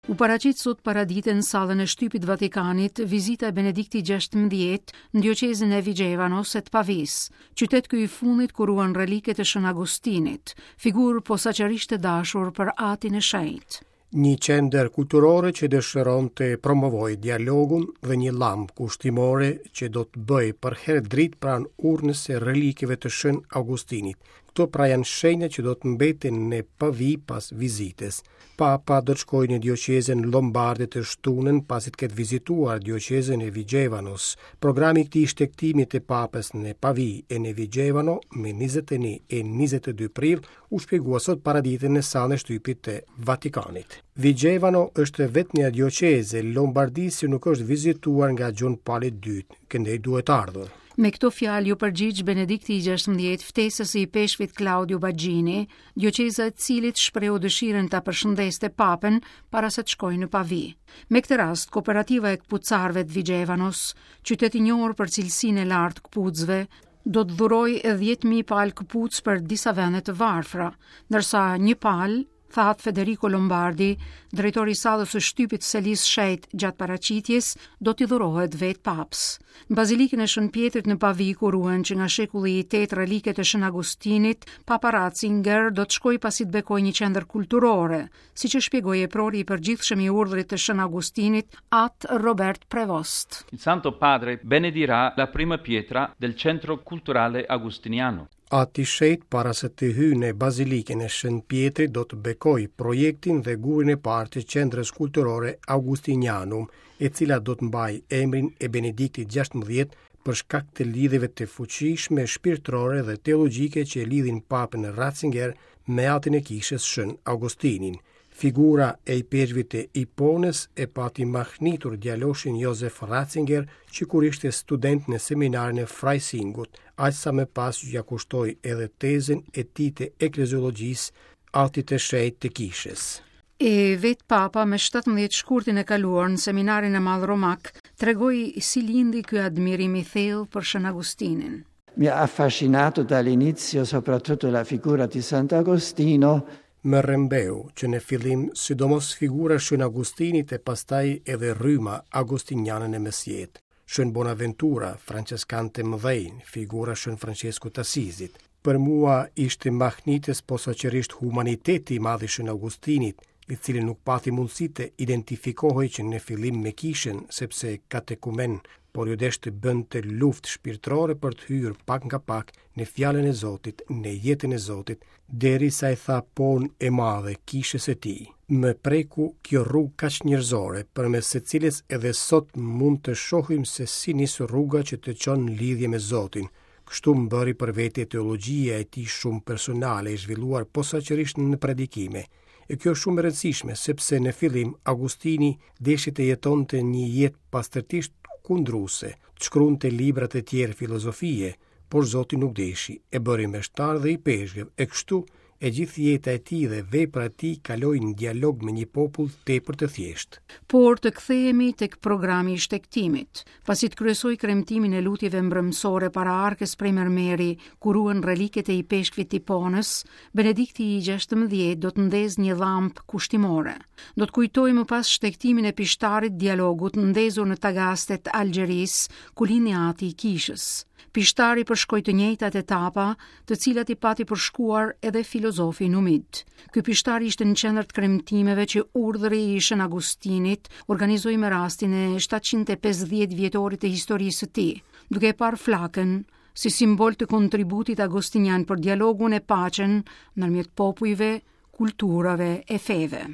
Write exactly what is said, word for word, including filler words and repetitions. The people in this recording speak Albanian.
U paraqit sot paradite në sallën e shtypit Vatikanit vizita e Benediktit gjashtëmbëdhjetë në dioqezën e Vigevanos e të Pavis, qytet ky i fundit ku ruan reliket e Shën Agustinit, figurë posaçërisht e dashur për Atin e Shenjtë. Një qendër kulturore që dëshiron të promovojë dialogun dhe një llambë kushtimore që do të bëjë për herë dritë pranë urnës së relikeve të Shën Augustinit. Këto pra janë shenja që do të mbeten në Pavi pas vizitës. Papa do të shkojë në dioqezën Lombarde të shtunën pasi të ketë vizituar dioqezën e Vigevanos. Programi i këtij shtegtimi të Papës në Pavi e në Vigevano me njëzet e një e njëzet e dy prill u shpjegua sot paradite në sallën e shtypit të Vatikanit. Vigevano është vetmja dioqezë e Lombardisë që nuk është vizituar nga Gjon Pali i dytë, këndej duhet ardhur. Me këto fjalë ju përgjigj Benedikti i gjashtëmbëdhjetë ftesës së ipeshkvit Claudio Baggini, dioqeza e cilit shprehu dëshirën ta përshëndeste Papën para se të shkojë në Pavi. Me këtë rast, kooperativa e këpucarëve të Vigevanos, qytet i njohur për cilësinë e lartë këpucëve, do të dhurojë dhjetë mijë palë këpucë për disa vende të varfra, ndërsa një palë, tha Federico Lombardi, drejtori i sallës së shtypit Selis Shenjt gjatë paraqitjes, do t'i dhurohet vetë Papës. Në Bazilikën e Shën Pjetrit në Pavi, ku ruhen që nga shekulli i tetë reliket e Shën Agustinit, Papa Ratzinger do të shkojë pasi të bekojë një qendër kulturore, siç e shpjegoi eprori i përgjithshëm i urdhrit të Shën Agustinit, At Robert Prevost. Il Santo Padre benedirà la prima pietra del Centro Culturale Agostiniano. Ati Shenjt para se të hyjë në Bazilikën e Shën Pjetrit do të bekojë projektin dhe gurin e parë të Qendrës Kulturore Augustinianum, e cila do të mbajë emrin e Benediktit gjashtëmbëdhjetë për shkak të lidhjeve të fuqishme shpirtërore dhe teologjike që e lidhin Papën Ratzinger me atin e kishës Shën Augustinin. Figura e ipeshkvit të Iponës e pati mahnitur djaloshin Josef Ratzinger që kur ishte student në seminarin e Freisingut, aq sa më pas ja kushtoi edhe tezën e tij të ekleziologjisë atit të shenjtë të kishës. E vetë Papa me shtatëmbëdhjetë shkurtin e kaluar në seminarin e madh romak tregoi si lindi ky admirim i thellë për Shën Agustinin. Mi ha affascinato dall'inizio soprattutto la figura di Sant'Agostino. Më rrëmbeu që në fillim sidomos figura Shën Agustinit e pastaj edhe rryma agustiniane në mesjetë. Shën Bonaventura, franceskan të mëdhenj, figura Shën Francesco t'Asizit. Për mua ishte mahnitës posaçërisht humaniteti i madh i Shën Augustinit, i cili nuk pati mundësi të identifikohej që në fillim me kishën, sepse katekumen, por ju desh të bënte luftë shpirtërore për të hyrë pak nga pak në fjalën e Zotit, në jetën e Zotit, derisa i tha pon e madhe kishës së tij. Më preku kjo rrugë kaq njerëzore, përmes së cilës edhe sot mund të shohim se si nis rruga që të çon në lidhje me Zotin. Kështu më bëri për vete teologjia e tij shumë personale e zhvilluar posaçërisht në predikime. E kjo është shumë e rëndësishme, sepse në fillim Augustini deshi të jetonte një jetë pastërtisht kundruese, të shkruante libra të tjerë filozofie, por Zoti nuk deshi, e bëri meshtar dhe i peshkëv, e kështu e gjithë jeta e tij dhe vepra e tij kaloi në dialog me një popull tepër të thjeshtë. Por të kthehemi tek programi i shtegtimit, pasi të kryesoi kremtimin e lutjeve mbrëmsore para arkës prej mermeri, ku ruhen reliket e ipeshkvit Tiponës, Benedikti i gjashtëmbëdhjetë do të ndezë një llampë kushtimore. Do të kujtojë më pas shtegtimin e pishtarit dialogut ndezur në Tagastet të Algjerisë, ku lindi ati i kishës. Pishtari përshkoi të njëjtat etapa, të cilat i pati përshkuar edhe filozofi Numid. Ky pishtar ishte në qendër të kremtimeve që urdhri i Shën Agustinit organizoi me rastin e shtatëqind e pesëdhjetë vjetorit të historisë së tij, duke e parë flakën si simbol të kontributit agustinian për dialogun e paqen ndërmjet popujve, kulturave e feve.